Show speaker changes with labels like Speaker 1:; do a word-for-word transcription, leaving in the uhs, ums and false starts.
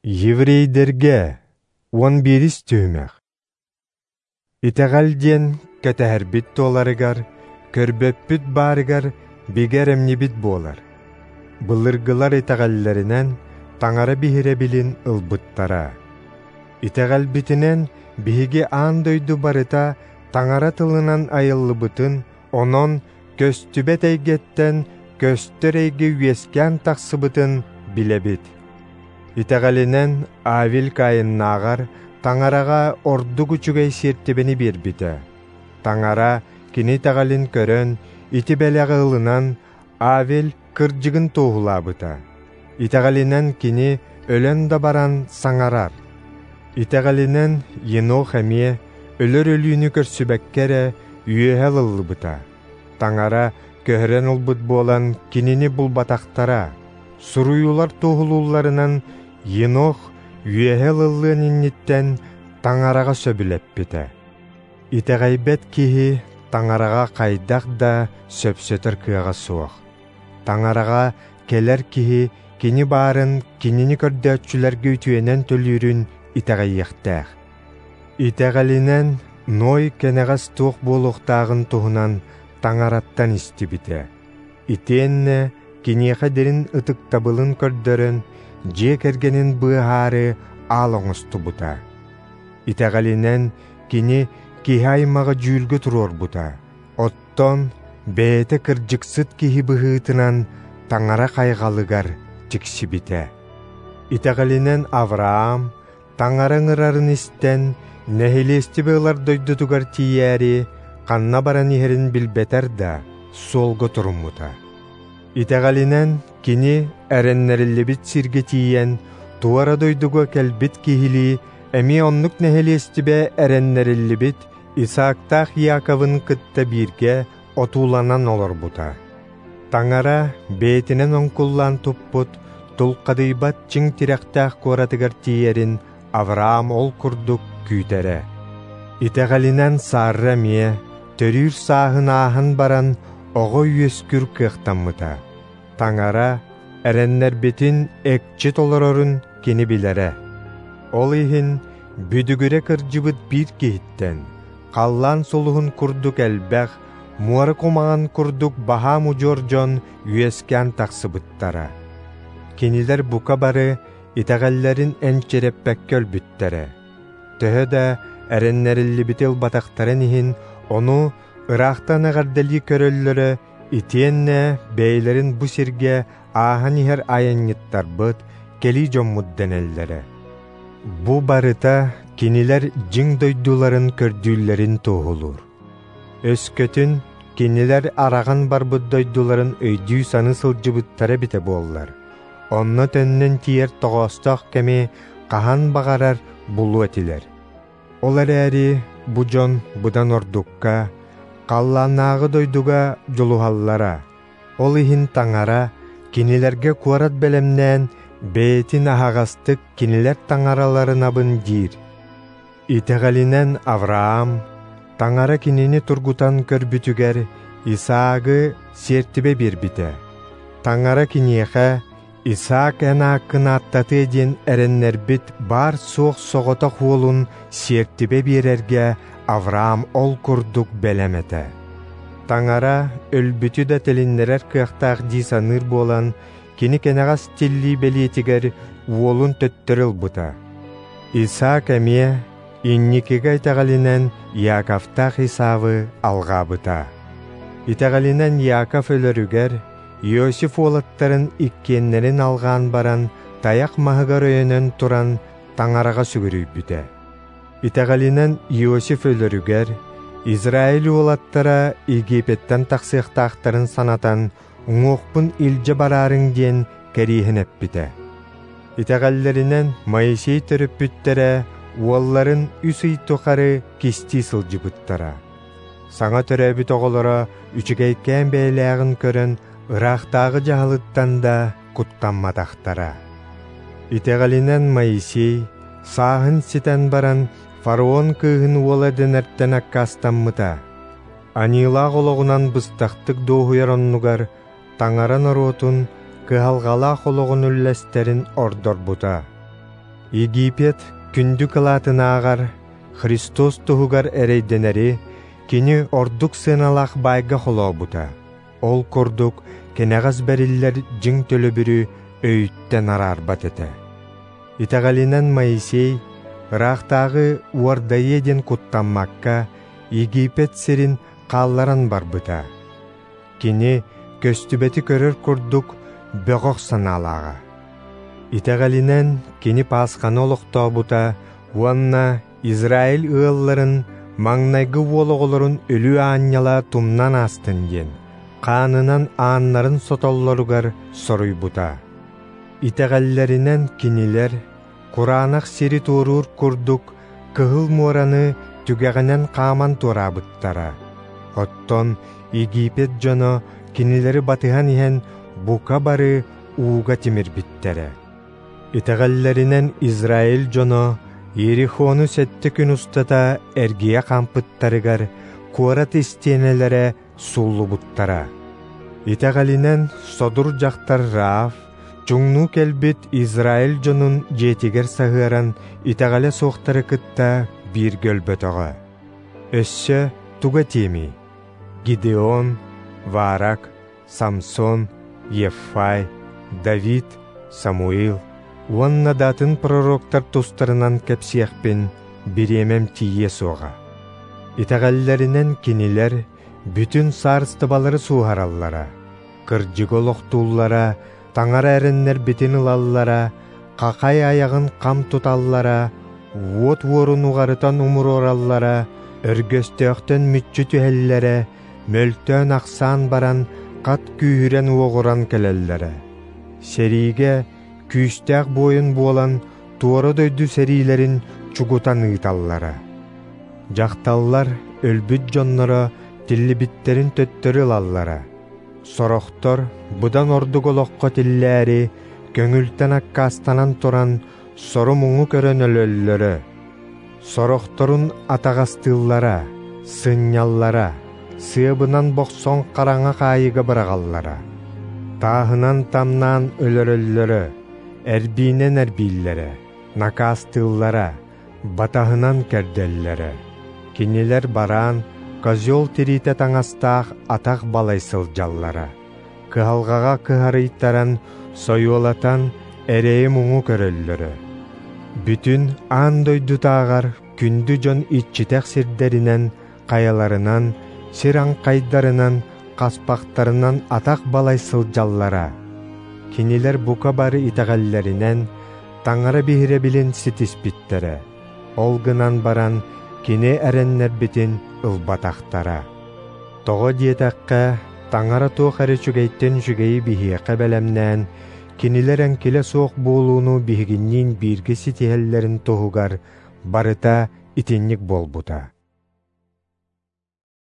Speaker 1: Еврейдэргэ уон биирис түһүмэх. Итэҕэл диэн кэтэһэрбит туоларыгар, көрбөппүт баарыгар бигэ эрэмньибит буолар. Былыргылар итэҕэллэринэн Таҥара биһирэбилин ылбыттара. Итэҕэлбитинэн биһиги аан дойду барыта Таҥара тылынан айыллыбытын, онон көстүбэт эйгэттэн көстөр эйгэ үөскээн тахсыбытын билэбит. Итэҕэлинэн Авель Каиннааҕар Таҥараҕа ордук үчүгэй сиэртибэни биэрбитэ. Таҥара кини итэҕэлин көрөн, ити бэлэҕи ылынан, Авель кырдьыгын туоһулаабыта. Итэҕэлинэн кини өлөн да баран саҥарар. Итэҕэлинэн Енох эмиэ өлөр өлүүнү көрсүбэккэ эрэ үөһэ ылыллыбыта. Таҥара көһөрөн ылбыт буолан кинини булбатахтара. Суруйуулар туоһулуулларынан Енох үөһэ ылыллыан инниттэн Таҥараҕа сөбүлэппитэ. Итэҕэйбэт киһи Таҥараҕа хайдах да сөпсөтөр кыаҕа суох. Таҥараҕа кэлэр киһи кини баарын кинини көрдөөччүлэргэ үтүөнэн төлүүрүн итэҕэйиэхтээх. Итэҕэлинэн Ной кэнэҕэс туох буолуохтааҕын туһунан Таҥараттан истибитэ. Итиэннэ киниэхэ дирин ытыктабылын көрдөрөн, дьиэ кэргэнин быыһаары аал оҥостубута. Итэҕэлинэн кини киһи аймаҕы дьүүлгэ туруорбута. Оттон бэйэтэ кырдьыксыт киһи быһыытынан Таҥара хайҕалыгар тиксибитэ. Итэҕэлинэн Авраам Таҥара ыҥырарын истэн, нэһилиэстибэ ылар дойдутугар тиийээри, ханна баран иһэрин билбэтэр да, суолга туруммута. Итэҕэлинэн кини эрэннэриллибит сиргэ тиийэн, туора дойдуга кэлбит киһилии, эмиэ оннук нэһилиэстибэ эрэннэриллибит Исаактаах Иаковын кытта бииргэ отууланан олорбута. Таҥара бэйэтинэн оҥкуллаан туппут, тулхадыйбат чиҥ тирэхтээх куоратыгар тиийэрин Авраам ол курдук күүтэрэ. Итэҕэлинэн Сарра эмиэ төрүүр сааһын ааһан баран оҕо үөскүүр кыахтаммыта. Таҥара эрэннэрбитин экчи толорорун кини билэрэ. Ол иһин бүдүгүрэ кырдьыбыт биир киһиттэн, халлаан сулуһун курдук элбэх, муора кумаҕан курдук баһаам удьуор дьон үөскээн тахсыбыттара. Кинилэр бука бары итэҕэллэрин энчирэппэккэ өлбүттэрэ. Төһө да эрэннэриллибити ылбатахтарын иһин, ону ыраахтан эҕэрдэлии көрөллөрө, итиэннэ бэйэлэрин бу сиргэ ааһан иһэр айанньыттарбыт, кэлии дьоммут дэнэллэрэ. Бу барыта кинилэр дьиҥ дойдуларын көрдүүллэрин туоһулуур. Өскөтүн кинилэр араҕан барбыт дойдуларын өйдүү-саныы сылдьыбыттара эбитэ буоллар, онно төннөн тиийэр тоҕоостоох кэми хаһан баҕарар булуо этилэр. Ол эрээри бу дьон быдан ордукка, халлааннааҕы дойдуга дьулуһаллара. Ол иһин Таҥара кинилэргэ куорат бэлэмнээн, бэйэтин аһаҕастык кинилэр таҥараларынабын диир. Итэҕэлинэн Авраам Таҥара кинини тургутан көрбүтүгэр Исаагы сиэртибэ биэрбитэ. Таҥара киниэхэ Исаак эн ааккын ааттатыа диэн эрэннэрбит баар-суох соҕотох уолун сиэртибэ биэрэргэ Авраам ол курдук бэлэм этэ. Таҥара өлбүтү да тилиннэрэр кыахтаах дии саныыр буолан, кини кэнэҕэс тиллии бэлиэтигэр уолун төттөрү ылбыта. Исаак эмиэ инникигэ итэҕэлинэн Иаковтаах Исавы алҕаабыта. Итэҕэлинэн Иаков өлөрүгэр Иосиф уолаттарын иккиэннэрин алҕаан баран, тайах маһыгар өйөнөн туран Таҥараҕа сүгүрүйбүтэ. Итэҕэлинэн Иосиф өлөрүгэр Израиль уолаттара Египеттэн тахсыахтаахтарын санатан, уҥуохпун илдьэ бараарыҥ диэн кэриэһин эппитэ. Итэҕэллэринэн Моисей төрөппүттэрэ уолларын үс ый тухары кистии сылдьыбыттара. Саҥа төрөөбүт оҕолоро үчүгэйкээн бэйэлээҕин көрөн, ыраахтааҕы дьаһалыттан да куттамматахтара. Итэҕэлинэн Моисей сааһын ситэн баран фараон кыыһын уола дэнэртэн аккаастаммыта. Аньыылаах олоҕунан быстахтык дуоһуйар оннугар Таҥара норуотун кыһалҕалаах олоҕун үллэстэрин ордорбута. Египет күндү кылаатынааҕар Христос туһугар эрэйдэнэри кини ордук сыаналаах баайга холообута. Ол курдук кэнэҕэс бэриллэр дьиҥ төлөбүрү өйүттэн араарбат этэ. Итэҕэлинэн Моисей ыраахтааҕы уордайыа диэн куттаммакка Египет сирин хаалларан барбыта. Кини көстүбэти көрөр курдук бөҕөх санаалааҕа. Итэҕэлинэн кини Пасханы олохтообута уонна Израиль ыалларын маҥнайгы уол оҕолорун өлүү аанньала тумнан аастын диэн хаанынан ааннарын сотоллоругар соруйбута. Итэҕэллэринэн кинилэр кураанах сири туоруур курдук Кыһыл муораны түгэҕинэн хааман туораабыттара. Оттон Египет дьоно кинилэри батыһан иһэн бука бары ууга тимирбиттэрэ. Итэҕэллэринэн Израиль дьоно Иерихону сэттэ күн устата эргийэ хаампыттарыгар куорат истиэнэлэрэ сууллубуттара. Итэҕэлинэн содур дьахтар Раав чуҥнуу кэлбит Израиль дьонун дьиэтигэр саһыаран итэҕэлэ суохтары кытта бииргэ өлбөтөҕө. Өссө туга этиэмий? Гидеон, Варак, Самсон, Еффай, Давид, Самуил уонна да атын пророктар тустарынан кэпсиэхпин бириэмэм тиийиэ суоҕа. Итэҕэллэринэн кинилэр бүтүн саарыстыбалары сууһараллара, кырдьыгы олохтууллара, таҥара эрэннэрбитин ылаллара, хахай айаҕын хам туталлара, уот уорун уҕарытан умуруораллара, өргөстөөхтөн мүччү түһэллэрэ, мөлтөөн ахсаан баран хат күүһүрэн уоҕуран кэлэллэрэ. Сэриигэ күүстээх буойун буолан туора дойду сэриилэрин чугутан ыыталлара. Дьахталлар өлбүт дьонноро тиллибиттерин төттөрү ылаллара. Сорохтор быдан ордук олоххо тиллээри көҥүлтэн аккаастанан туран сору-муҥу көрөн өлөллөрө. Сорохторун атаҕастыыллара, сынньаллара, сыабынан бохсон хараҥа хаайыга быраҕаллара. Тааһынан тамнаан өлөрөллөрө, эрбиинэн эрбииллэрэ, накаастыыллара, батаһынан кэрдэллэрэ. Кинилэр бараан, козел тириитэ таҥастаах атах балай сылдьаллара. Кыһалҕаҕа кыһарыйтаран, сойуолатан, эрэйи-муҥу көрөллөрө. Бүтүн аан дойдутааҕар күндү дьон иччитэх сирдэринэн, хайаларынан, сир аҥхайдарынан, хаспахтарынан атах балай сылдьаллара. Кинилэр бука бары итэҕэллэринэн таҥара биһирэбилин ситиспиттэрэ. Ол гынан баран кини эрэннэрбитин ылбатахтара. Тоҕо диэтэххэ, таҥара туох эрэ үчүгэйтэн үчүгэйи биһиэхэ бэлэмнээн, кинилэр эҥкилэ суох буолууну биһигинниин бииргэ ситиһэллэрин туһугар барыта итинник буолбута.